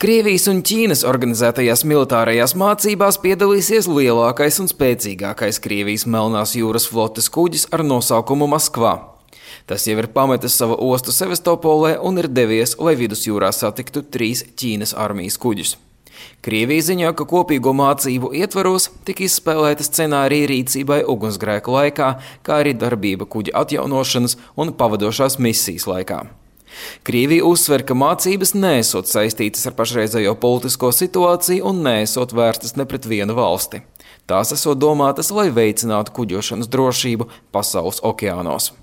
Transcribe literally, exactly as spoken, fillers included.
Krievijas un Ķīnas organizētajās militārajās mācībās piedalīsies lielākais un spēcīgākais Krievijas Melnās jūras flotes kuģis ar nosaukumu Maskva. Tas jau ir pametis savu ostu Sevastopolē un ir devies, lai vidusjūrā satiktu trīs Ķīnas armijas kuģus. Krievija ziņo, ka kopīgo mācību ietvaros tika izspēlēta scenārija rīcībai ugunsgrēku laikā, kā arī darbība kuģa atjaunošanas un pavadošās misijas laikā. Krievija uzsver, ka mācības neesot saistītas ar pašreizējo politisko situāciju un neesot vērstas ne pret vienu valsti. Tās esot domātas, lai veicinātu kuģošanas drošību pasaules okeānos.